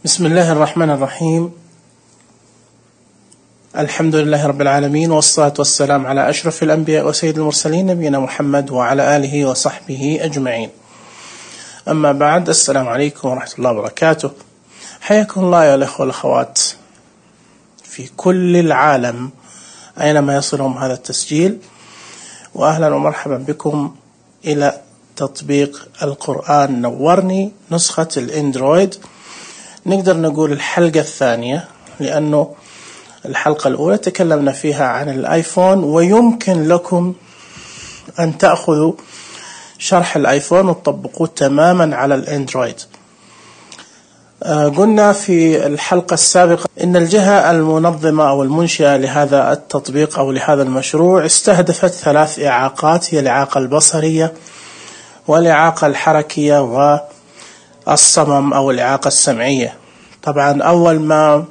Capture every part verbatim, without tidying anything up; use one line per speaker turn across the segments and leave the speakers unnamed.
بسم الله الرحمن الرحيم. الحمد لله رب العالمين، والصلاة والسلام على أشرف الأنبياء وسيد المرسلين نبينا محمد وعلى آله وصحبه أجمعين. أما بعد، السلام عليكم ورحمة الله وبركاته. حياكم الله يا الأخوة والأخوات في كل العالم أينما يصلهم هذا التسجيل، وأهلا ومرحبا بكم إلى تطبيق القرآن نورني نسخة الإندرويد. نقدر نقول الحلقة الثانية، لأنه الحلقة الأولى تكلمنا فيها عن الآيفون، ويمكن لكم أن تأخذوا شرح الآيفون وتطبقوه تماما على الأندرويد. آه قلنا في الحلقة السابقة إن الجهة المنظمة أو المنشئة لهذا التطبيق أو لهذا المشروع استهدفت ثلاث إعاقات، هي الإعاقة البصرية والإعاقة الحركية والصمم أو الإعاقة السمعية. طبعا أول ما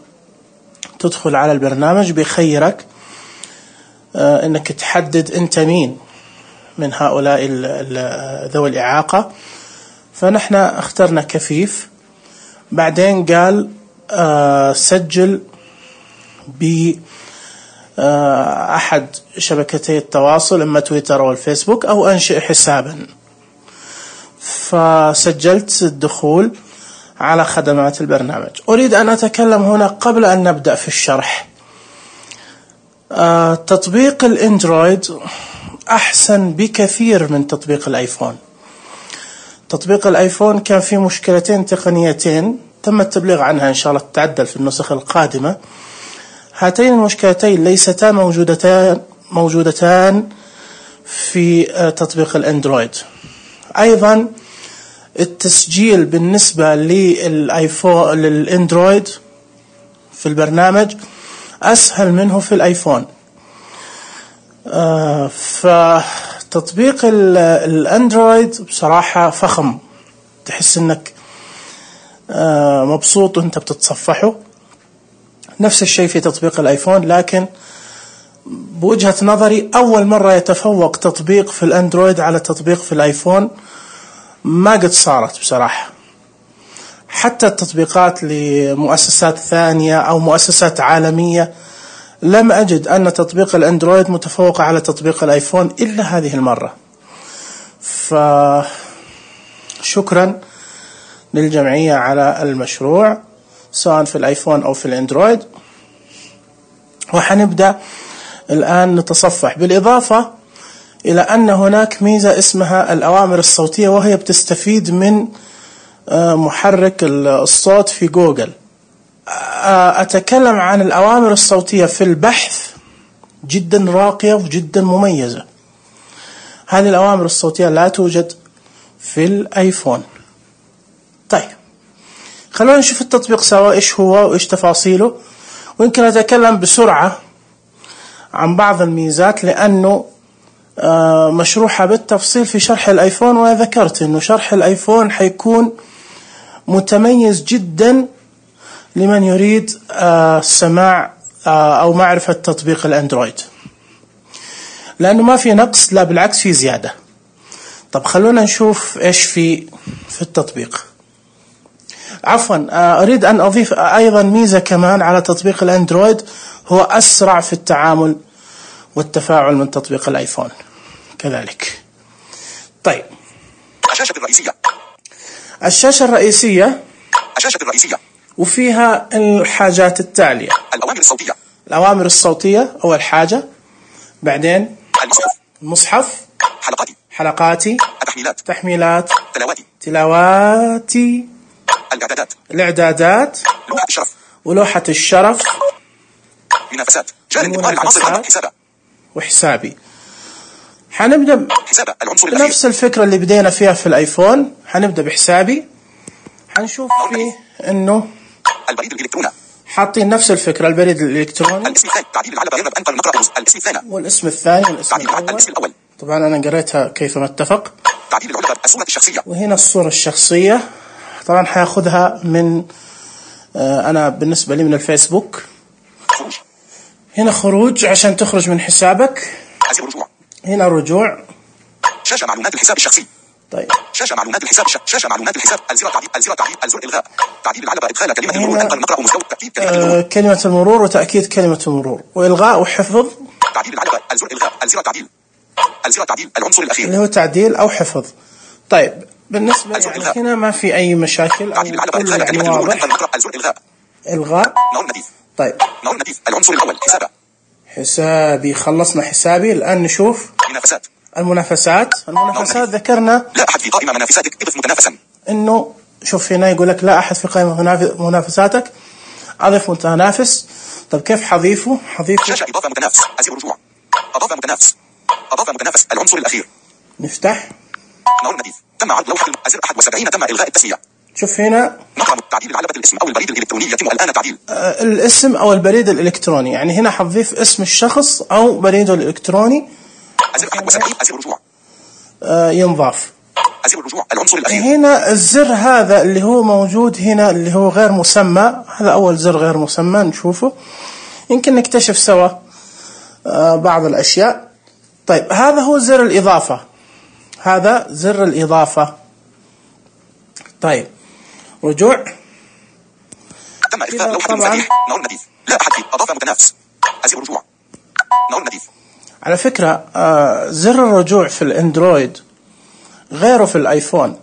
تدخل على البرنامج بيخيرك آه إنك تحدد أنت مين من هؤلاء ذوي الإعاقة، فنحن اخترنا كفيف. بعدين قال آه سجل بأحد آه شبكتي التواصل، إما تويتر أو الفيسبوك، أو أنشئ حسابا. فسجلت الدخول على خدمات البرنامج. أريد أن أتكلم هنا قبل أن نبدأ في الشرح. آه تطبيق الإندرويد أحسن بكثير من تطبيق الآيفون. تطبيق الآيفون كان فيه مشكلتين تقنيتين تم التبليغ عنها، إن شاء الله تتعدل في النسخ القادمة. هاتين المشكلتين ليستا موجودتان موجودتان في تطبيق الأندرويد. أيضا التسجيل بالنسبة للآيفون للأندرويد في البرنامج أسهل منه في الآيفون. آه فتطبيق الأندرويد بصراحة فخم، تحس إنك آه مبسوط وأنت بتتصفحه. نفس الشيء في تطبيق الآيفون، لكن بوجهة نظري أول مرة يتفوق تطبيق في الأندرويد على تطبيق في الآيفون ما قد صارت بصراحة. حتى التطبيقات لمؤسسات ثانية أو مؤسسات عالمية لم أجد أن تطبيق الأندرويد متفوق على تطبيق الآيفون إلا هذه المرة. فشكرا للجمعية على المشروع سواء في الآيفون أو في الأندرويد. وحنبدأ الآن نتصفح، بالإضافة إلى أن هناك ميزة اسمها الأوامر الصوتية، وهي بتستفيد من محرك الصوت في جوجل. أتكلم عن الأوامر الصوتية في البحث، جدا راقية وجدا مميزة. هذه الأوامر الصوتية لا توجد في الآيفون. طيب، خلونا نشوف التطبيق سوا إيش هو وإيش تفاصيله، ويمكن أتكلم بسرعة عن بعض الميزات، لأنه مشروحة بالتفصيل في شرح الآيفون. وذكرت أنه شرح الآيفون حيكون متميز جدا لمن يريد سماع أو معرفة تطبيق الأندرويد، لأنه ما في نقص، لا بالعكس في زيادة. طب خلونا نشوف إيش في في التطبيق. عفوا، أريد أن أضيف أيضا ميزة كمان على تطبيق الأندرويد، هو أسرع في التعامل والتفاعل من تطبيق الآيفون كذلك. طيب،
الشاشة الرئيسية
الشاشة الرئيسية
الشاشة الرئيسية
وفيها الحاجات التالية:
الأوامر الصوتية
الأوامر الصوتية أول حاجة، بعدين
المصحف
المصحف،
حلقاتي
حلقاتي،
التحميلات
تحميلات،
تلاواتي
تلاواتي،
الإعدادات
الإعدادات،
لوحة الشرف
ولوحة الشرف،
منافسات، جانب إدمار العناصر عندك، حسابة
وحسابي. حنبدأ
حسابة العنصر الأخير،
نفس الفكرة اللي بدينا فيها في الآيفون. حنبدأ بحسابي. حنشوف فيه إنه
البريد الإلكتروني،
حاطين نفس الفكرة، البريد الإلكتروني،
الاسم الثاني، تعديل العلبة يرغب أن نقرأ الاسم الثاني،
والاسم الثاني والاسم
تعديل
الأول.
الاسم الأول،
طبعا أنا قريتها كيفما اتفق.
تعديل العلبة، الصورة الشخصية،
وهنا الصورة الشخصية. طبعا حياخذها من آه أنا بالنسبة لي من الفيسبوك.
خروج،
هنا خروج عشان تخرج من حسابك.
أزر رجوع،
هنا رجوع.
شاشة معلومات الحساب الشخصي،
طيب
شاشة معلومات الحساب. شاشة معلومات الحساب. الزر تعديل. الزر تعديل. الزر إلغاء. تعديل العلبة. إدخال كلمة المرور. أنقر نقرأ مستوى. تأكيد كلمة المرور.
آه كلمة المرور وتأكيد كلمة المرور وإلغاء وحفظ.
تعديل العلبة. الزر إلغاء. الزر تعديل. الزر تعديل. العنصر الأخير
اللي هو تعديل أو حفظ. طيب بالنسبة يعني هنا ما في أي مشاكل.
تعديل العلبة. إدخال كلمة المرور. أنقر نقرأ. الزر إلغاء.
إلغاء.
نور نديف.
طيب
نور نديف. العنصر الأول. حسابة.
حسابي. خلصنا حسابي. الآن نشوف
منافسات.
المنافسات. المنافسات ذكرنا
لا أحد في قائمة منافساتك. اضف متنافسا.
إنه شوف هنا يقول لك لا أحد في قائمة منافساتك. أضف متنافس. طب كيف حضيفه؟ حضيفه
شاشة إضافة متنافس. أزر رجوع. أضاف متنافس. أضاف متنافس. العنصر الأخير.
نفتح.
نور نديف. تم عرض لوحة أزر واحد وسبعين. تم إلغاء التسمية.
شوف هنا
نقرأ تعديل العلبة. الاسم أو البريد الإلكتروني يتم الآن تعديل.
آه الاسم أو البريد الإلكتروني. يعني هنا حضيف اسم الشخص أو بريده الإلكتروني.
أزر واحد وسبعين. أزر رجوع.
آه ينضاف.
أزر الرجوع. العنصر الأخير.
هنا الزر هذا اللي هو موجود هنا اللي هو غير مسمى. هذا أول زر غير مسمى نشوفه. يمكن نكتشف سوا آه بعض الأشياء. طيب هذا هو زر الإضافة. هذا زر الإضافة. طيب رجوع.
تم إخفاء لوحة مفاتيح. نور نديف. لا أحد في. أضاف متنافس. أزر رجوع. نور نديف.
على فكرة آه زر الرجوع في الأندرويد غيره في الآيفون.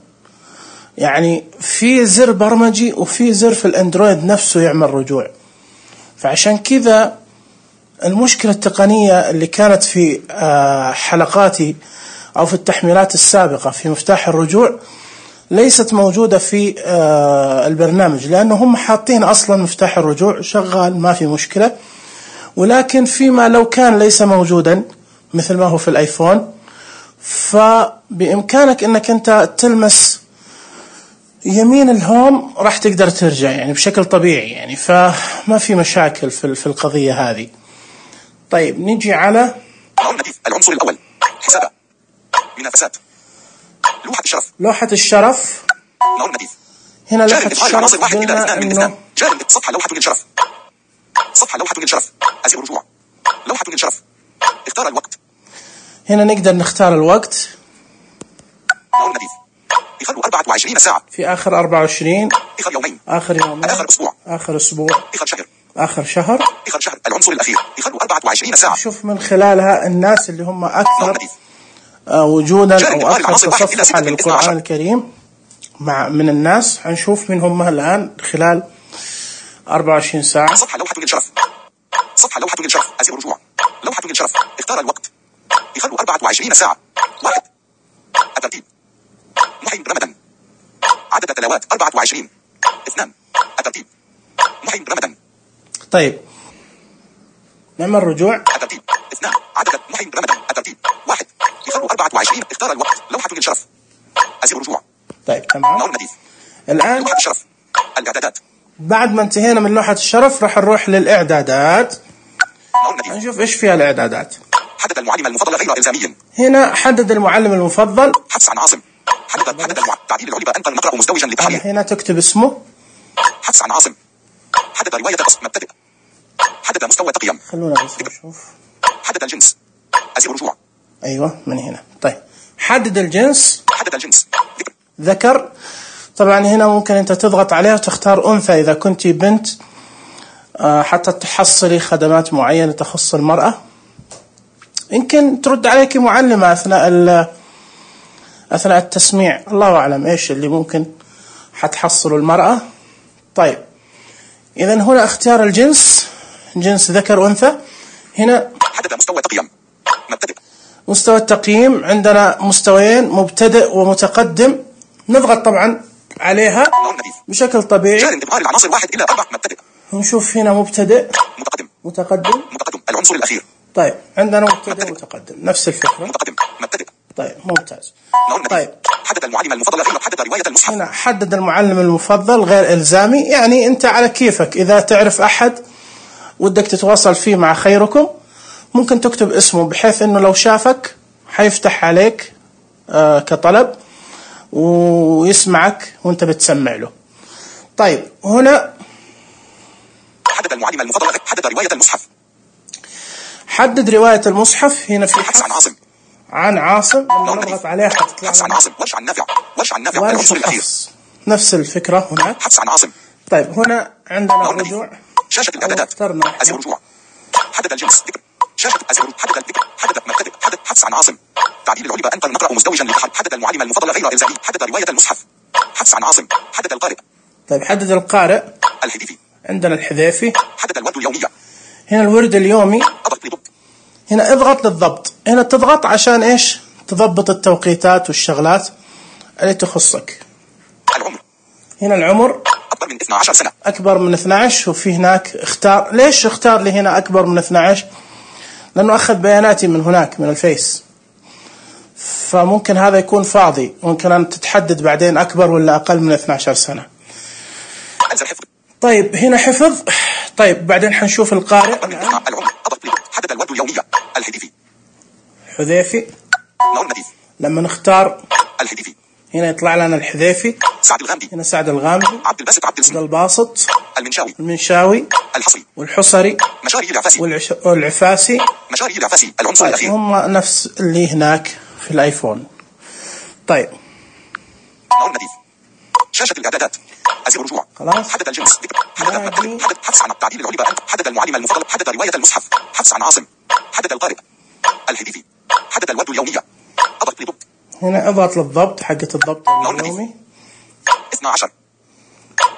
يعني في زر برمجي وفي زر في الأندرويد نفسه يعمل رجوع. فعشان كذا المشكلة التقنية اللي كانت في آه حلقاتي أو في التحميلات السابقة في مفتاح الرجوع ليست موجودة في آه البرنامج. لأنه هم حاطين أصلا مفتاح الرجوع شغال ما في مشكلة. ولكن فيما لو كان ليس موجودا مثل ما هو في الآيفون فبإمكانك أنك أنت تلمس يمين الهوم راح تقدر ترجع يعني بشكل طبيعي. يعني فما في مشاكل في في القضية هذه. طيب نيجي على
نور نديف. العنصر الأول. حسابة. منافسات. لوحة الشرف.
لوحة الشرف.
نور نديف.
هنا لوحة الشرف
واحد إلى
قلنا
اثنان من
إنه
اثنان. جانب صفحة لوحة للشرف. صفحة لوحة للشرف. أزر رجوع. لوحة للشرف. اختار الوقت.
هنا نقدر نختار الوقت.
نور نديف. إخر أربعة وعشرين ساعة.
في آخر أربعة وعشرين.
إخر يومين.
آخر يومين.
آخر أسبوع.
آخر أسبوع.
إخر شهر.
آخر شهر.
إخر شهر. العنصر الأخير. إخر أربعة وعشرين ساعة.
شوف من خلالها الناس اللي هم أكثر وجودا أو أكثر تصفحا للقرآن الكريم مع من الناس هنشوف من هم الآن خلال أربعة وعشرين ساعة.
صفحة لوحة للشرف. صفحة لوحة للشرف. أزر رجوع. لوحة للشرف. اختار الوقت. إخر أربعة وعشرين ساعة. واحد. الترتيب. محي رمضان. عدد تلاوات أربعة وعشرين. اثنان. الترتيب. محي رمضان.
طيب نعمل رجوع.
الترتيب. اثنان. عدد محي رمضان. الترتيب. واحد. إخر أربعة وعشرين. اختار الوقت. لوحة للشرف. أزر رجوع.
طيب تمام.
نور نديف.
الآن
لوحة الشرف. الإعدادات.
بعد ما انتهينا من لوحة الشرف راح نروح للإعدادات.
نور نديف.
نشوف إيش فيها الإعدادات.
حدد المعلم المفضل غير إلزامي.
هنا حدد المعلم المفضل.
حفص عن عاصم. حدد حدد المعلم. تعديل العلبة. أنقر نقرأ مزدوجا للتحرير.
هنا تكتب اسمه.
حفص عن عاصم. حدد رواية قص. مبتدئ. حدد مستوى تقييم.
خلونا بس نشوف.
حدد الجنس. أزر رجوع.
أيوة من هنا. طيب حدد الجنس.
حدد الجنس. ذكر.
ذكر. طبعا هنا ممكن أنت تضغط عليها وتختار أنثى إذا كنت بنت حتى تحصلي خدمات معينة تخص المرأة. يمكن ترد عليك معلمة أثناء أثناء التسميع. الله أعلم إيش اللي ممكن حتحصل المرأة. طيب إذن هنا اختيار الجنس. جنس ذكر أنثى. هنا
حدد مستوى تقييم. مبتدئ.
مستوى التقييم عندنا مستويين مبتدئ ومتقدم. نضغط طبعا عليها بشكل طبيعي.
جار انتقال العناصر واحد إلى أربعة. مبتدئ.
نشوف هنا مبتدئ.
متقدم.
متقدم.
متقدم. العنصر الأخير.
طيب عندنا مبتدئ متقدم نفس الفكرة.
متقدم. مبتدئ.
طيب ممتاز.
طيب حدد المعلم المفضل غير. حدد رواية المصحف.
هنا حدد المعلم المفضل غير إلزامي. يعني أنت على كيفك. إذا تعرف أحد ودك تتواصل فيه مع خيركم ممكن تكتب اسمه بحيث أنه لو شافك حيفتح عليك آه كطلب ويسمعك وانت بتسمع له. طيب هنا
حدد المعلم المفضل. حدد رواية المصحف.
حدد رواية المصحف. هنا في
حفص عن عاصم.
عن عاصم لما نضغط عليها حتطلع
حبس عن عاصم. ورش عن نافع. ورش عن نافع العنصر الأخير.
نفس الفكرة هناك.
حبس عن عاصم.
طيب هنا عندنا الرجوع.
شاشة الإعدادات. أزر الرجوع. حدد الجنس. ذكر. شاشة أزر. حدد الذكر. حدد مبتدئ. حدد حبس عن عاصم. تعديل العلبة أنقل نقرأ مزدوجا لتحدد. حدد المعلم المفضل غير إلزامي. حدد رواية المصحف. حبس عن عاصم. حدد القارئ.
طيب حدد القارئ.
الحذيفي.
عندنا الحذيفي.
حدد الورد اليومية.
هنا الورد اليومي. هنا اضغط للضبط. هنا تضغط عشان ايش؟ تضبط التوقيتات والشغلات اللي تخصك.
العمر.
هنا العمر
أكبر من اثنتي عشرة سنة.
أكبر من اثنتي عشر. وفي هناك اختار. ليش اختار لي هنا أكبر من اثنتي عشر؟ لأنه أخذ بياناتي من هناك من الفيس، فممكن هذا يكون فاضي. ممكن أن تتحدد بعدين أكبر ولا أقل من اثنتي عشر سنة. طيب هنا حفظ. طيب بعدين حنشوف القارئ.
العمر. حدد الورد اليومية. الحذيفي.
حذيفي.
نور نديف.
لما نختار
الحذيفي
هنا يطلع لنا الحذيفي.
سعد الغامدي.
هنا سعد الغامدي.
عبد الباسط عبد
عبد الباسط.
المنشاوي.
المنشاوي.
الحصري.
والحصري.
مشاري العفاسي.
والعش... والعفاسي.
مشاري العفاسي العنصر
طيب
الأخير.
هم نفس اللي هناك في الآيفون. طيب
نور نديف. شاشة الإعدادات. أزر رجوع.
خلاص.
حدد الجنس. ذكر. حدد مبتدئ. حدد حبس عن تعديل العلبة. حدد المعلم المفضل. حدد رواية المصحف. حبس عن عاصم. حدد القارئ. الحذيفي. حدد الورد اليومية. أضغط لضبط.
هنا اضغط للضبط. حقة الضبط اليومي.
اثنتي عشر.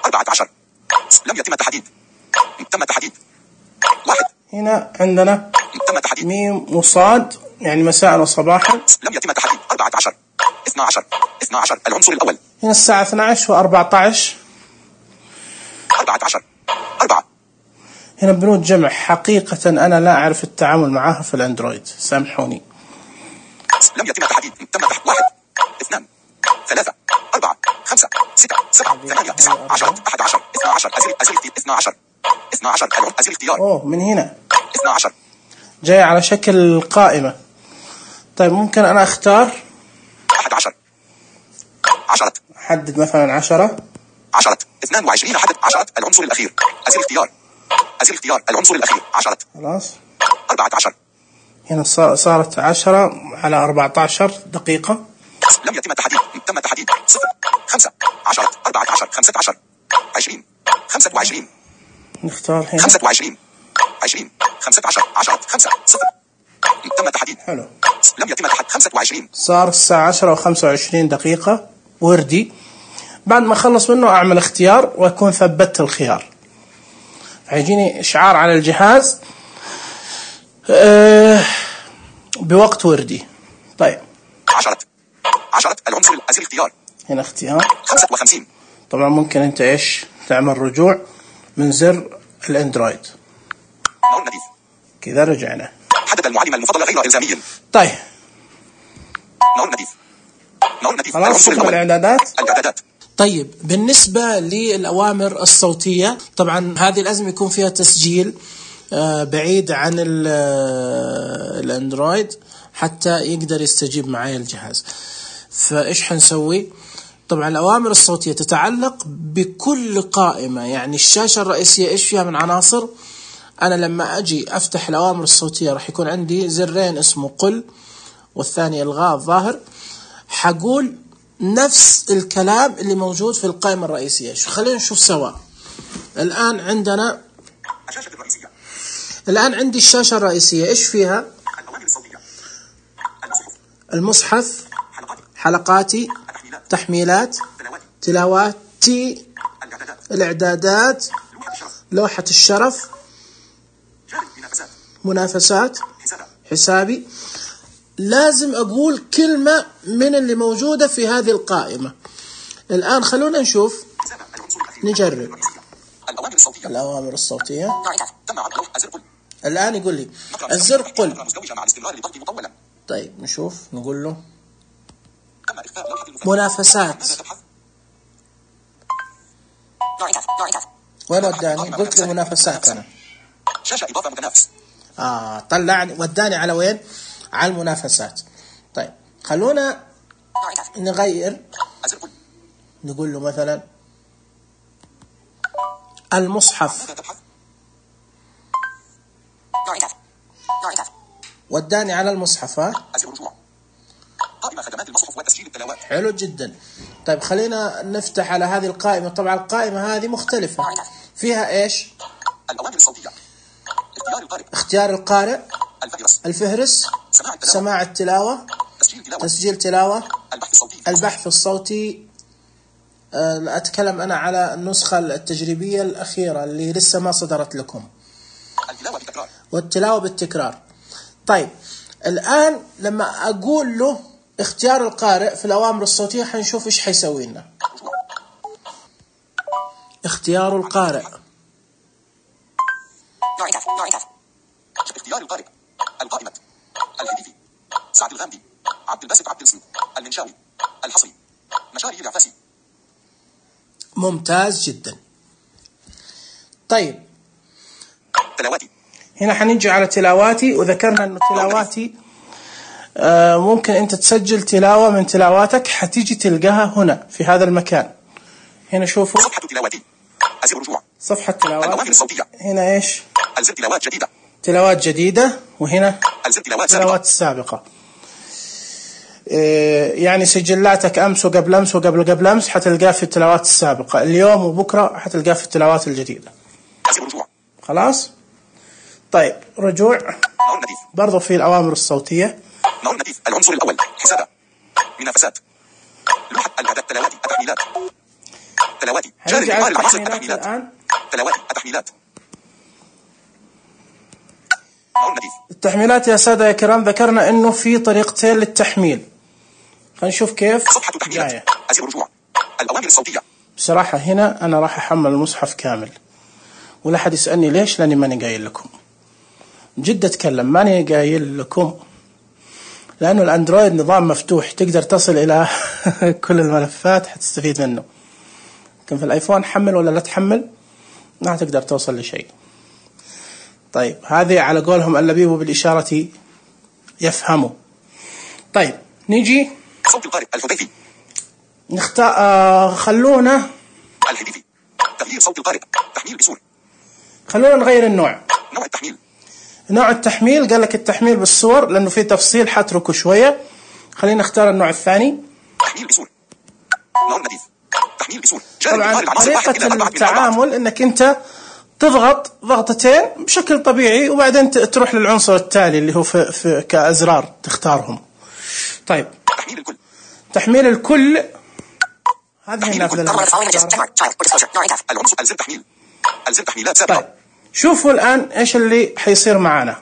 أربعة عشر. لم يتم التحديد. تم التحديد. واحد.
هنا عندنا
تم التحديد.
ميم وصاد يعني مساء وصباحا.
لم يتم التحديد. أربعة عشر. اثنتي عشر. اثنتي عشر العنصر الأول.
هنا الساعة اثنتي عشر وأربعة عشر.
أربعة عشر. أربعة.
هنا بنود جمع. حقيقة أنا لا أعرف التعامل معها في الأندرويد، سامحوني.
لم يتم التحديد. تم التحديد. واحد. اثنان. ثلاثة. أربعة. خمسة. ستة. سبعة. ثمانية. تسعة. عشرة. أحد عشر. اثنتي عشر. أزل أزل اثنتي عشر. اثنتي عشر. أزل اختيار.
أوه من هنا.
اثنتي عشر.
جاي على شكل قائمة. طيب ممكن أنا أختار.
أحد عشر. عشرة.
أحدد مثلا عشرة.
عشرة. اثنان وعشرين. حدد عشرة العنصر الأخير. أزل اختيار. أزل اختيار العنصر الأخير. عشرة.
خلاص.
أربعة عشر.
هنا صارت عشرة على أربعة عشر دقيقة.
لم يتم التحديد. تم التحديد. صفر. خمسة. عشرة. أربعة عشر. خمسة عشر. عشرين. خمسة وعشرين.
نختار هنا.
خمسة وعشرين. عشرين. خمسة عشر. عشرة. خمسة. صفر. تم التحديد.
حلو.
لم يتم التحديد. خمسة وعشرين.
صار الساعة عشرة وخمسة وعشرين دقيقة وردي. بعد ما أخلص منه أعمل اختيار وأكون ثبتت الخيار. هيجيني إشعار على الجهاز أه بوقت وردي. طيب.
عشرة. عشرة العنصر الأزل اختيار.
هنا اختيار.
خمسة وخمسين.
طبعا ممكن أنت إيش تعمل رجوع من زر الأندرويد.
نور نديف.
كذا رجعنا.
حدد المعلم المفضل غير إلزامي.
طيب.
نور نديف. نور نديف.
خلاص شفنا الإعدادات.
الإعدادات.
طيب بالنسبة للأوامر الصوتية، طبعا هذه لازم يكون فيها تسجيل بعيد عن الأندرويد حتى يقدر يستجيب معي الجهاز. فإيش حنسوي؟ طبعا الأوامر الصوتية تتعلق بكل قائمة. يعني الشاشة الرئيسية إيش فيها من عناصر؟ أنا لما أجي أفتح الأوامر الصوتية راح يكون عندي زرين اسمه قل والثاني إلغاء الظاهر. حقول نفس الكلام اللي موجود في القائمة الرئيسية. شو خلينا نشوف سوا. الآن عندنا
الشاشة الرئيسية.
الآن عندي الشاشة الرئيسية إيش فيها؟
الأوامر الصوتية.
المصحف. حلقاتي. تحميلات. تلاواتي. الإعدادات. لوحة الشرف. منافسات. حسابي. لازم أقول كلمة من اللي موجودة في هذه القائمة. الآن خلونا نشوف. نجرب.
الأوامر الصوتية.
الأوامر الصوتية.
تم عرض لوحة أزر قل.
الآن يقول لي الزر قل.
مع
طيب نشوف نقول له
تم إخفاء لوحة المفاتيح.
منافسات. وين وداني؟ قلت له منافسات أنا.
شاشة إضافة متنافس.
آه طلعني وداني على وين؟ على المنافسات. طيب خلونا نغير. نقول له مثلا المصحف. وداني على المصحف. ها
تلاوات.
حلو جدا. طيب خلينا نفتح على هذه القائمة. طبعا القائمة هذه مختلفة، فيها ايش؟
الأوامر الصوتية، اختيار القارئ،
اختيار القارئ،
الفهرس،
الفهرس،
سماع التلاوة،
سماع التلاوة،
تسجيل تلاوة،
تسجيل تلاوة،
البحث الصوتي،
البحث الصوتي. أه أتكلم أنا على النسخة التجريبية الأخيرة اللي لسه ما صدرت لكم.
التلاوة بالتكرار،
والتلاوة بالتكرار. طيب الآن لما أقول له اختيار القارئ في الأوامر الصوتية حنشوف إيش حيسوي لنا. اختيار القارئ،
اختيار القارئ، القائمة، الهديفي، سعد الغامدي، عبد الباسط عبد الصمد، المنشاوي، الحصري، مشاري العفاسي.
ممتاز جدا. طيب
تلاواتي،
هنا حنيجي على تلاواتي، وذكرنا أنه تلاواتي آه ممكن أنت تسجل تلاوة من تلاواتك، حتيجي تلقاها هنا في هذا المكان. هنا شوفوا
صفحة تلاواتي، أزر رجوع،
صفحة تلاوات.
الأوامر الصوتية،
هنا إيش؟
ألزم تلاوات جديدة،
تلاوات جديدة، وهنا
ألزم تلاوات
تلاوات السابقة. إيه يعني سجلاتك أمس وقبل أمس وقبل قبل أمس حتلقاه في التلاوات السابقة، اليوم وبكرة حتلقاه في التلاوات الجديدة.
أزر رجوع،
خلاص. طيب رجوع
نور النديف،
برضو في الأوامر الصوتية.
نور النديف، العنصر الأول، حسابة، منافسات، لوحة الإعداد، تلاواتي، التحميلات، تلاواتي، جاري
هنرجع على
العناصر،
التحميلات
التحميلات،
الآن.
تلاواتي، التحميلات، نور النديف،
التحميلات يا سادة يا كرام ذكرنا إنه في طريقتين للتحميل. خلينا نشوف كيف.
صفحة تحميلات، أزر رجوع، الأوامر الصوتية.
بصراحة هنا أنا راح أحمل المصحف كامل، ولا حد يسألني ليش، لأني ماني قايل لكم. جد أتكلم ماني قايل لكم، لأنه الأندرويد نظام مفتوح تقدر تصل إلى كل الملفات حتستفيد منه. لكن في الآيفون حمل ولا لا تحمل ما تقدر توصل لشيء. طيب هذه على قولهم اللبيب بالإشارة يفهموا. طيب نيجي
صوت القارئ، الحذيفي،
نختار آه خلونا
الهديفي، تغيير صوت القارئ، تحميل بسور،
خلونا نغير النوع.
نوع التحميل،
نوع التحميل قال لك التحميل بالصور لأنه في تفصيل حتركه شوية. خلينا نختار النوع الثاني،
تحميل بسور، نور النديف، تحميل بسور.
طبعا طريقة التعامل انك انت تضغط ضغطتين بشكل طبيعي وبعدين تروح للعنصر التالي اللي هو في, في كأزرار تختارهم. طيب
تحميل الكل،
تحميل الكل هذه النافذة.
العنصر ألزم تحميل، ألزم تحميلات سابقة.
طيب شوفوا الآن ايش اللي حيصير معنا.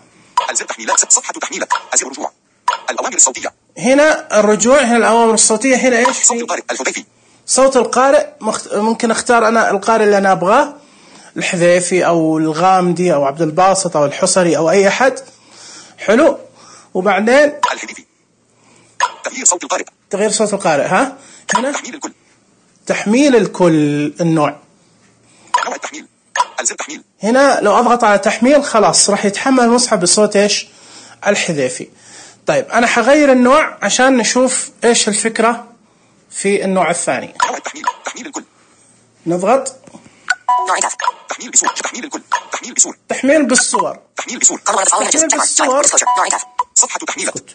ألزم تحميلات، صفحة تحميلات، أزر رجوع، الأوامر الصوتية.
هنا الرجوع، هنا الأوامر الصوتية. هنا ايش؟
صوت القارئ، الحذيفي،
صوت القارئ. ممكن اختار انا القارئ اللي انا ابغاه، الحذيفي او الغامدي او عبد الباسط او الحصري او اي احد. حلو. وبعدين
الهديفي، تغيير صوت القارئ،
تغيير صوت القارئ. ها هنا
تحميل الكل،
تحميل الكل النوع،
نوع التحميل، ألزم تحميل.
هنا لو اضغط على تحميل خلاص راح يتحمل المصحف بصوت ايش؟ الحذيفي. طيب انا حغير النوع عشان نشوف ايش الفكرة في النوع الثاني.
نوع التحميل، تحميل الكل،
نضغط
تحميل بصور، تحميل الكل، تحميل بصور،
تحميل بالصور،
تحميل بصور،
تحميل بالصور.
صفحة تحميلات،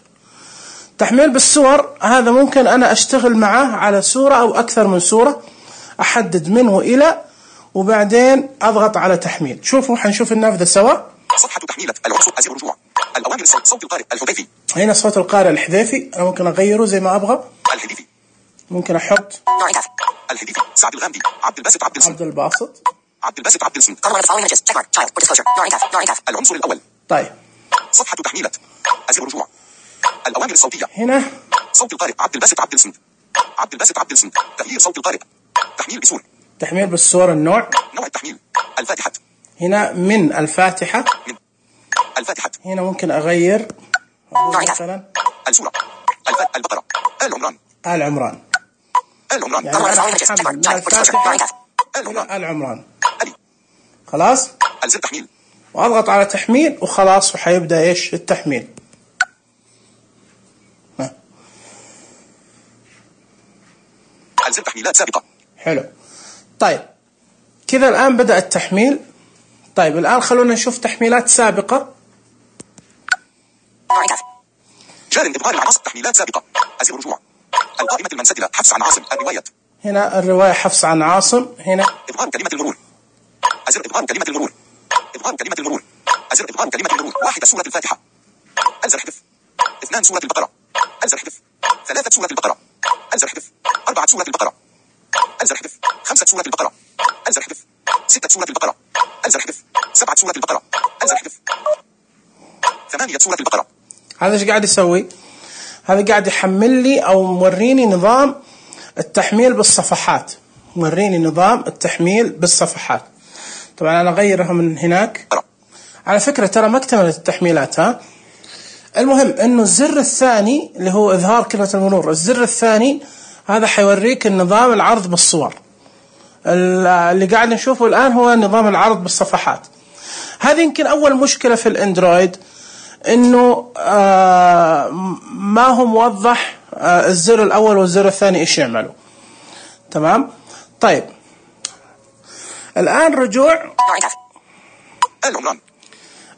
تحميل بالصور هذا ممكن أنا أشتغل معه على صورة أو أكثر من صورة، أحدد منه إلى وبعدين أضغط على تحميل. شوفوا حنشوف النافذة سوا.
صفحة تحميلات، العنصر أزر رجوع، الأوامر الصوت، صوت القارئ، الحذيفي.
هنا صوت القارئ الحذيفي، أنا ممكن أغيره زي ما أبغى.
الهديفي،
ممكن أحط
الهديفي، سعد الغامدي، عبد الباسط عبد الصمد،
عبد الباسط،
عبد الباسط عبد الصمد. العنصر الأول.
طيب
صفحة تحميلات، أزر رجوع، الأوامر الصوتية.
هنا
صوت القارئ، عبد الباسط عبد الصمد، عبد الباسط عبد الصمد، تغيير صوت القارئ، تحميل بصور،
تحميل بالصور. النوع
نوع التحميل، الفاتحة،
هنا من الفاتحة،
من الفاتحة.
هنا ممكن أغير مثلا
السورة، البقرة، آل عمران،
آل عمران،
آل عمران،
يعني أنا أحمل من الفاتحة إلى آل عمران. خلاص
ألزم تحميل
وأضغط على تحميل وخلاص وحيبدأ إيش التحميل. ها.
ألزم تحميلات سابقة.
حلو. طيب كذا الآن بدأ التحميل. طيب الآن خلونا نشوف تحميلات سابقة.
جار إبغار العناصر، تحميلات سابقة، أزر رجوع، القائمة المنسدلة حفص عن عاصم. الرواية.
هنا الرواية حفص عن عاصم. هنا
إظهار كلمة المرور. أزر إظهار كلمة المرور. إظهار كلمة المرور. أزر إظهار كلمة المرور. واحدة سورة الفاتحة. ألزر حذف. اثنان سورة البقرة. ألزر حذف. ثلاثة سورة البقرة. ألزر حذف. أربعة سورة البقرة. ألزر حذف. خمسة سورة البقرة. ألزر حذف. ستة سورة البقرة. ألزر حذف. سبعة سورة البقرة. ألزر حذف. ثمانية سورة البقرة.
هذا ايش قاعد يسوي؟ هذا قاعد يحمل لي او موريني نظام التحميل بالصفحات. موريني نظام التحميل بالصفحات. طبعا انا اغيرها من هناك. على فكرة ترى ما اكتملت التحميلات. ها المهم انه الزر الثاني اللي هو اظهار كلمة المرور، الزر الثاني هذا حيوريك النظام العرض بالصور. اللي قاعد نشوفه الان هو نظام العرض بالصفحات. هذه يمكن اول مشكلة في الاندرويد، انه آه ما هو موضح آه الزر الاول والزر الثاني ايش يعملوا. تمام. طيب الان رجوع
العمران.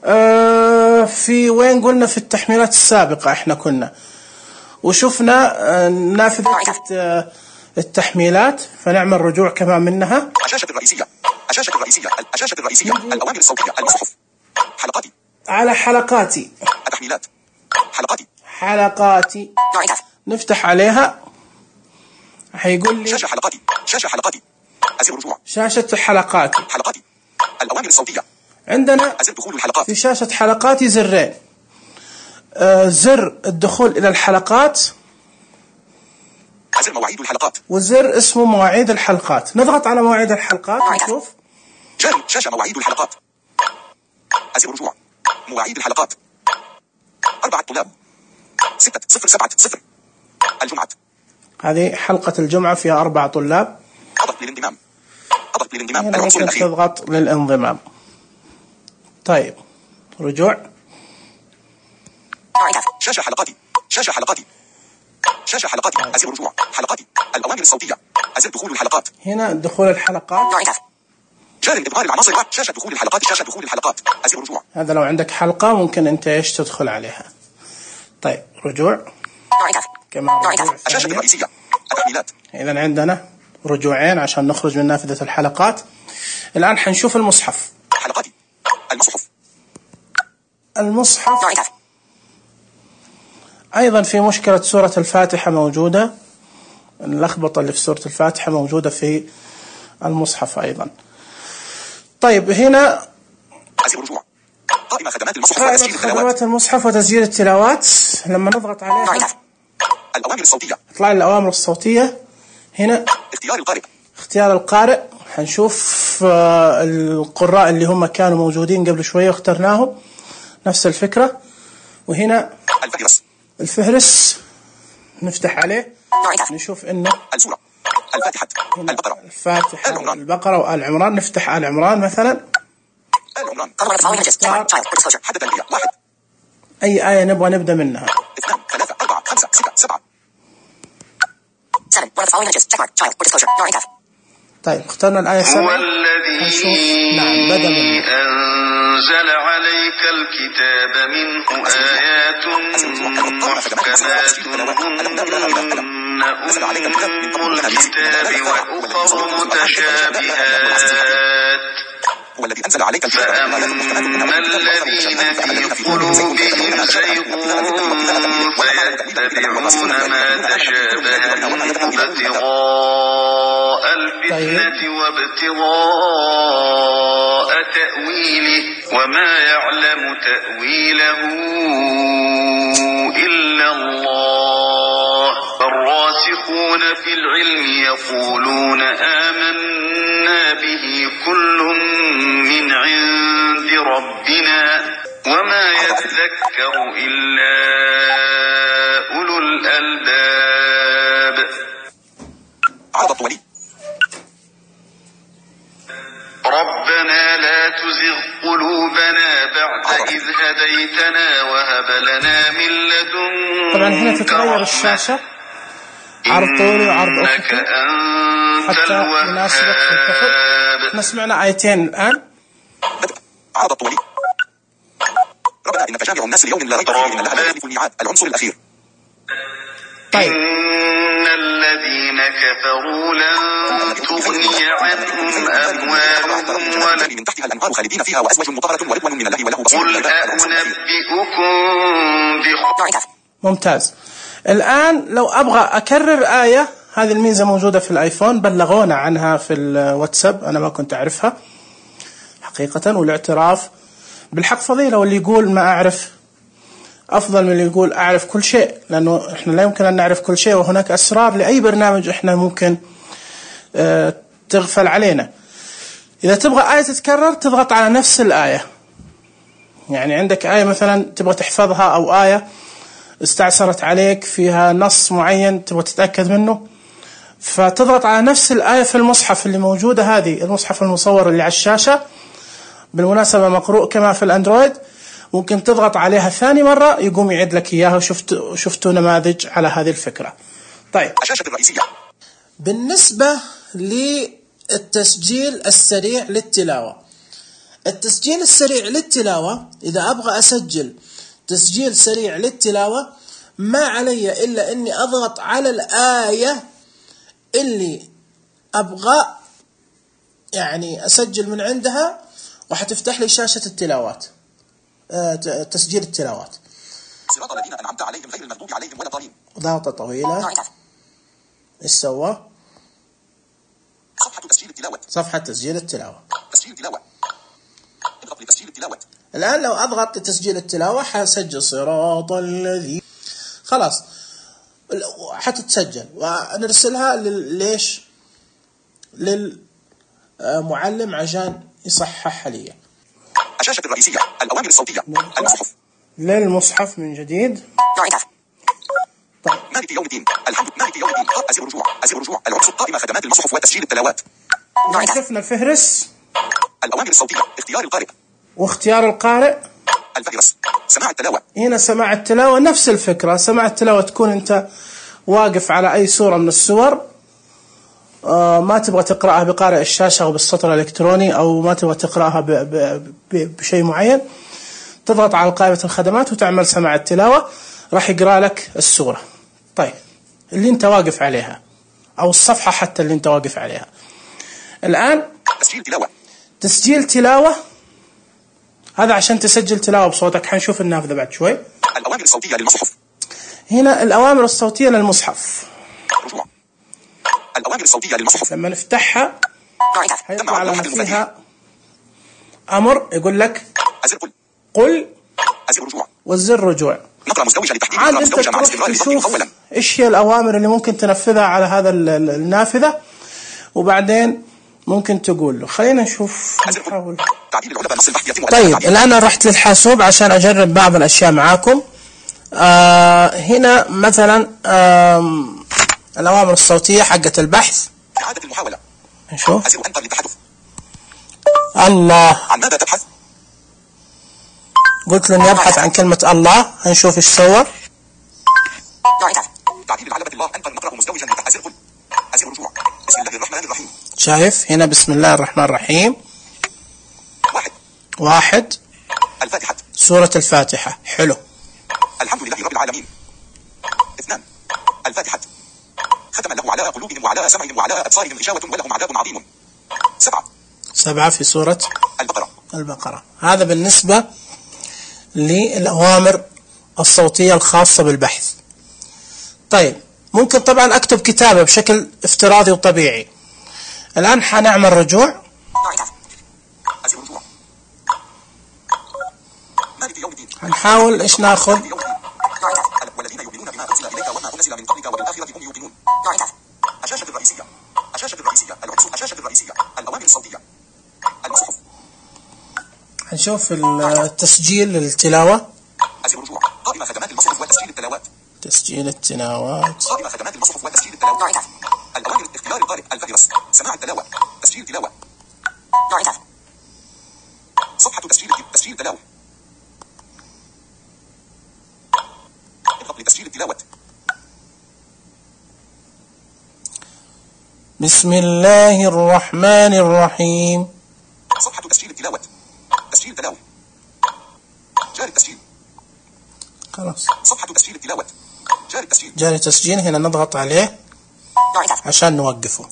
آه في وين قلنا في التحميلات السابقة احنا كنا وشفنا آه نافذة آه التحميلات، فنعمل رجوع كمان منها.
الشاشة الرئيسية. الشاشة الرئيسية. الشاشة الرئيسية. الأوامر الصوتية. المصحف. حلقاتي.
على حلقاتي.
التحميلات. حلقاتي.
حلقاتي. نفتح عليها حيقول لي
شاشة حلقاتي. شاشة حلقاتي. أزر رجوع.
شاشة حلقاتي.
حلقاتي. الأوامر الصوتية.
عندنا
أزر دخول الحلقات.
في شاشة حلقاتي زرين. آه زر الدخول إلى الحلقات،
أزر مواعيد الحلقات،
وزر اسمه مواعيد الحلقات. نضغط على مواعيد الحلقات نشوف.
جاري شاشة مواعيد الحلقات. أزر رجوع. مواعيد الحلقات. أربعة طلاب. ستة صفر سبعة صفر. الجمعة.
هذه حلقة الجمعة فيها أربع طلاب.
أضغط للانضمام. أضغط للانضمام.
هنا ممكن تضغط للانضمام. طيب رجوع.
شاشة حلقاتي. شاشة حلقاتي. شاشة حلقاتي. أزر رجوع. حلقاتي. الأوامر الصوتية. أزر دخول الحلقات.
هنا دخول الحلقات.
جار إظهار العناصر. شاشة دخول الحلقات. شاشة دخول الحلقات. أزر رجوع.
هذا لو عندك حلقة ممكن أنت إيش تدخل عليها. طيب رجوع. كمان رجوع.
الشاشة الرئيسية. التحميلات.
إذا عندنا رجوعين عشان نخرج من نافذة الحلقات. الآن حنشوف المصحف.
حلقاتي. المصحف.
المصحف. أيضا في مشكلة سورة الفاتحة موجودة. اللخبطة اللي في سورة الفاتحة موجودة في المصحف أيضا. طيب هنا
أزر رجوع. قائمة خدمات المصحف
قائمة
وتسجيل التلاوات.
خدمات المصحف وتسجيل التلاوات. لما نضغط عليها
الأوامر الصوتية.
تطلع لي الأوامر الصوتية. هنا
اختيار القارئ.
اختيار القارئ. حنشوف القراء اللي هم كانوا موجودين قبل شوية واخترناهم، نفس الفكرة. وهنا
الفهرس.
الفهرس نفتح عليه نشوف انه
السورة. الفاتحة. البقرة.
الفاتحة. البقرة وآل عمران. نفتح آل عمران مثلا.
آل عمران. حدث الأنبياء. واحد.
أي آية نبغى نبدأ منها.
اثنان ثلاثة أربعة خمسة ستة سبعة.
طيب اخترنا الآية سبعة.
هو الذي
نعم بدأ منه.
أنزل عليك الكتاب منه آيات محكمات هن أم الكتاب وأخر متشابهات فأما الذين في قلوبهم زيغ فيتبعون ما تشابه منه ابتغاء الفتنة وابتغاء تأويله وما يعلم تأويله إلا الله الراسخون في العلم يقولون آمنا به كل من عند ربنا وما يذكر إلا أولو الألباب.
عرض الطولي.
ربنا لا تزغ قلوبنا بعد إذ هديتنا وهب لنا من لدنك
طبعا هنا تتغير الشاشة عرض طولي وعرض أفقي حتى يناسبك في الكفر. احنا سمعنا آيتين الآن.
عرض الطولي. ربنا إنك جامع الناس ليوم لا ريب فيه إن الله لا يخلف الميعاد. العنصر الأخير.
طيب
الذين كفروا لن تغني عنهم أموالهم ولا
من تحتها الأنهار خالدين فيها وأزواج مطهرة ورضوان من الله وله بصير.
قل أنبئكم بخير.
ممتاز. الآن لو أبغى أكرر آية، هذه الميزة موجودة في الآيفون، بلغونا عنها في الواتساب، أنا ما كنت أعرفها حقيقة، والاعتراف بالحق فضيلة، واللي يقول ما أعرف أفضل من اللي يقول أعرف كل شيء، لأنه إحنا لا يمكن أن نعرف كل شيء، وهناك أسرار لأي برنامج إحنا ممكن اه تغفل علينا. إذا تبغى آية تتكرر تضغط على نفس الآية، يعني عندك آية مثلا تبغى تحفظها، أو آية استعسرت عليك فيها نص معين تبغى تتأكد منه، فتضغط على نفس الآية في المصحف اللي موجودة، هذه المصحف المصور اللي على الشاشة بالمناسبة مقروء كما في الأندرويد، ممكن تضغط عليها ثاني مرة يقوم يعيد لك إياها، وشفت شفتوا نماذج على هذه الفكرة. طيب،
الشاشة الرئيسية.
بالنسبة للتسجيل السريع للتلاوة، التسجيل السريع للتلاوة إذا أبغى أسجل تسجيل سريع للتلاوة ما علي إلا أني أضغط على الآية اللي أبغى يعني أسجل من عندها، وحتفتح لي شاشة التلاوات، آه تسجيل التلاوات.
صراط الذين أنعمت عليهم غير المغضوب عليهم ولا الضالين.
ضغطة طويلة. إيش سوى؟
صفحة تسجيل التلاوة.
صفحة تسجيل التلاوة.
تسجيل التلاوة. اضغط لتسجيل التلاوة.
الآن لو أضغط لتسجيل التلاوة حسجل صراط الذي، خلاص حتتسجل ونرسلها ليش للمعلم عشان يصححها لي.
الشاشة الرئيسية. الأوامر الصوتية. المصحف.
للمصحف من جديد.
طيب. مالك يوم الدين. الحمد مالك يوم الدين. أزر رجوع. أزر رجوع. العرس القائمة خدمات المصحف وتسجيل التلاوات.
شفنا الفهرس.
الأوامر الصوتية. اختيار القارئ.
واختيار القارئ.
الفهرس. سماع التلاوة.
هنا سماع التلاوة نفس الفكرة. سماع التلاوة تكون أنت واقف على أي سورة من السور، آه ما تبغى تقرأها بقارئ الشاشة أو بالسطر الإلكتروني، أو ما تبغى تقرأها ب ب ب بشيء معين، تضغط على قائمة الخدمات وتعمل سماع التلاوة، راح يقرأ لك السورة. طيب، اللي أنت واقف عليها أو الصفحة حتى اللي أنت واقف عليها. الآن
تسجيل تلاوة.
تسجيل تلاوة، هذا عشان تسجل تلاوة بصوتك. حنشوف النافذة بعد شوي.
الأوامر الصوتية للمصحف.
هنا الأوامر الصوتية للمصحف.
رجوع. الأوامر الصوتية للمصحف.
لما نفتحها هيطلع لنا فيها أمر يقول لك
أزر قل.
قل.
أزر رجوع.
والزر رجوع.
نقرأ مزدوجة لتحديد.
عاد أنت تروح تشوف إيش هي الأوامر اللي ممكن تنفذها على هذا النافذة، وبعدين ممكن تقول له. خلينا نشوف نحاول. طيب، الآن رحت للحاسوب عشان أجرب بعض الأشياء معاكم. آه هنا مثلا آه الأوامر الصوتية حقة البحث.
إعادة المحاولة.
نشوف.
أزر أنتر للتحدث.
الله.
عن ماذا تبحث؟
قلت له إني أبحث عن كلمة الله. هنشوف إيش صور.
تعديل علامة الله أنتر نقرأ مزدوجا أزر قل. أزر رجوع. بسم الله الرحمن الرحيم.
شايف هنا بسم الله الرحمن الرحيم.
واحد.
واحد.
الفاتحة.
سورة الفاتحة. حلو.
الحمد لله رب العالمين. اثنان. الفاتحة. ختم الله على قلوبهم وعلى سمعهم وعلى أبصارهم غشاوة ولهم عذاب عظيم. سبعة.
سبعة في سورة
البقرة.
البقرة. هذا بالنسبة للأوامر الصوتية الخاصة بالبحث. طيب، ممكن طبعا أكتب كتابة بشكل افتراضي وطبيعي. الآن حنعمل رجوع. هنحاول إيش ناخذ.
والذين يؤمنون بما أنزل إليك وما أنزل من قبلك وبالآخرة هم يوقنون. الشاشة الرئيسية. الشاشة الرئيسية. العرس. الشاشة الرئيسية. الأوامر الصوتية. المصحف.
هنشوف التسجيل للتلاوة.
أزر رجوع. قائمة خدمات المصحف وتسجيل التلاوات.
تسجيل التلاوات.
قائمة خدمات المصحف وتسجيل التلاوات. الأوامر. اختيار القارئ. الفهرس. سماع التلاوة. تسجيل تلاوة. صفحة تسجيل تسجيل تلاوة. اضغط لتسجيل التلاوة.
بسم الله الرحمن الرحيم.
صفحة تسجيل التلاوة. تسجيل تلاوة. جاري التسجيل.
خلاص.
صفحة تسجيل التلاوة. جاري التسجيل.
جاري تسجيل. هنا نضغط عليه. عشان نوقفه.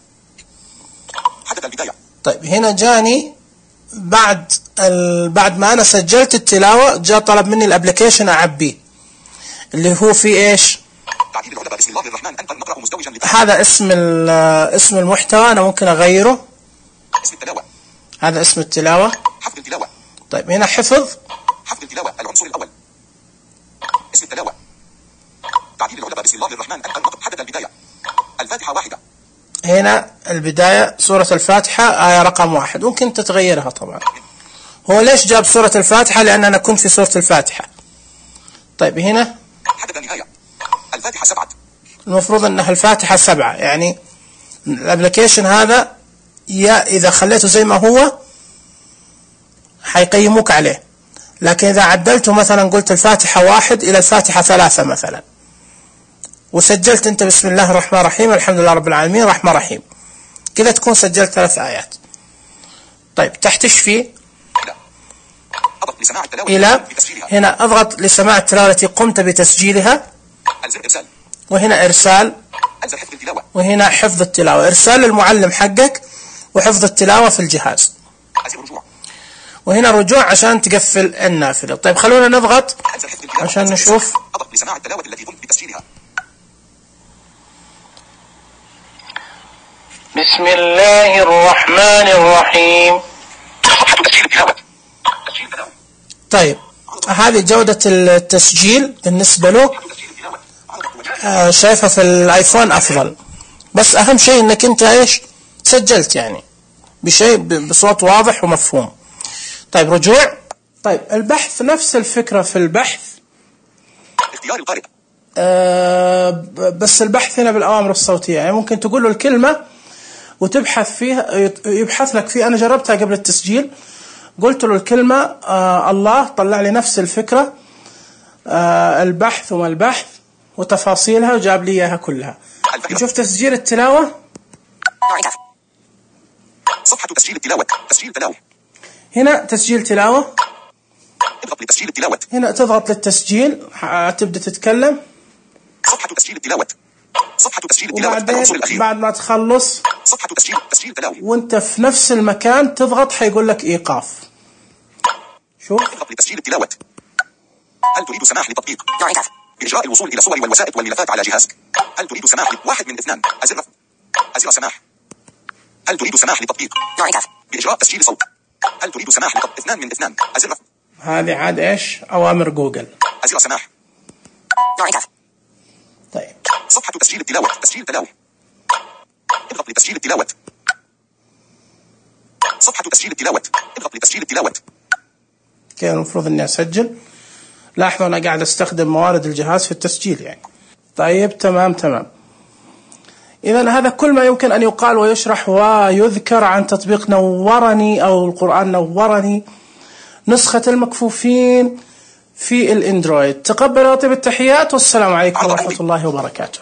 حدد البداية.
طيب هنا جاني بعد ال... بعد ما أنا سجلت التلاوة جاء طلب مني الابليكيشن أعبيه اللي هو في إيش؟
تعديل العلبة بسم الله الرحمن أنت نقرأ مزدوجا لت...
هذا اسم ال... اسم المحتوى، أنا ممكن أغيره.
اسم التلاوة.
هذا اسم التلاوة.
حفظ التلاوة.
طيب هنا حفظ.
حفظ التلاوة العنصر الأول. اسم التلاوة. تعديل العلبة بسم الله الرحمن أنت نقرأ. حدد البداية. الفاتحة واحدة.
هنا البداية سورة الفاتحة آية رقم واحد، ممكن تتغيرها طبعا. هو ليش جاب سورة الفاتحة؟ لأن أنا كنت في سورة الفاتحة. طيب هنا
حدد النهاية. الفاتحة سبعة.
المفروض أنها الفاتحة سبعة، يعني الابليكيشن هذا يا إذا خليته زي ما هو حيقيموك عليه، لكن إذا عدلته مثلا قلت الفاتحة واحد إلى الفاتحة ثلاثة مثلا وسجلت أنت بسم الله الرحمن الرحيم الحمد لله رب العالمين رحمن رحيم، كذا تكون سجلت ثلاث آيات. طيب تحت ايش فيه؟
اضغط لسماع التلاوة
إلى هنا اضغط لسماع التلاوة التي قمت بتسجيلها،
ألزم إرسال،
وهنا إرسال،
ألزم حفظ التلاوة،
وهنا حفظ التلاوة، إرسال للمعلم حقك وحفظ التلاوة في الجهاز،
ألزم رجوع،
وهنا رجوع عشان تقفل النافذة. طيب خلونا نضغط عشان نشوف.
اضغط لسماع التلاوة التي قمت بتسجيلها.
بسم الله الرحمن الرحيم.
صفحة تسجيل التلاوة. تسجيل التلاوة.
طيب هذه جودة التسجيل بالنسبة له، آه شايفها في الايفون افضل، بس اهم شيء انك انت ايش سجلت يعني بشيء بصوت واضح ومفهوم. طيب رجوع. طيب البحث نفس الفكرة في البحث،
اختيار القارئ،
آه بس البحث هنا بالأوامر الصوتية، يعني ممكن تقول له الكلمة وتبحث فيها يبحث لك فيها. أنا جربتها قبل التسجيل، قلت له الكلمة آه الله، طلع لي نفس الفكرة، آه البحث وما البحث وتفاصيلها وجاب لي إياها كلها. نشوف تسجيل التلاوة.
صفحة تسجيل التلاوة. تسجيل تلاوة.
هنا تسجيل تلاوة،
اضغط لتسجيل التلاوة.
هنا تضغط للتسجيل تبدأ تتكلم.
صفحة تسجيل التلاوة. صفحة تسجيل التلاوة. العنصر الأخير.
بعد ما تخلص
صفحة تسجيل تسجيل تلاوة
وانت في نفس المكان تضغط حيقول لك إيقاف. شوف.
اضغط لتسجيل التلاوة. هل تريد سماح لتطبيق بإجراء الوصول إلى صور والوسائط والملفات على جهازك؟ هل تريد سماح واحد من اثنان أزر أزر سماح. هل تريد سماح لتطبيق بإجراء تسجيل صوت؟ هل تريد سماح لتطبيق اثنان من اثنان أزر.
هذه عاد ايش أوامر جوجل.
أزر سماح.
طيب
صفحة تسجيل التلاوة. تسجيل تلاوة. اضغط لتسجيل التلاوة. صفحة تسجيل التلاوة. اضغط لتسجيل التلاوة.
كان المفروض اني اسجل. لاحظوا انا قاعد استخدم موارد الجهاز في التسجيل يعني. طيب تمام تمام. اذا هذا كل ما يمكن ان يقال ويشرح ويذكر عن تطبيق نورني او القرآن نورني، نسخة المكفوفين في الاندرويد. تقبلوا طيب التحيات والسلام عليكم ورحمة الله وبركاته.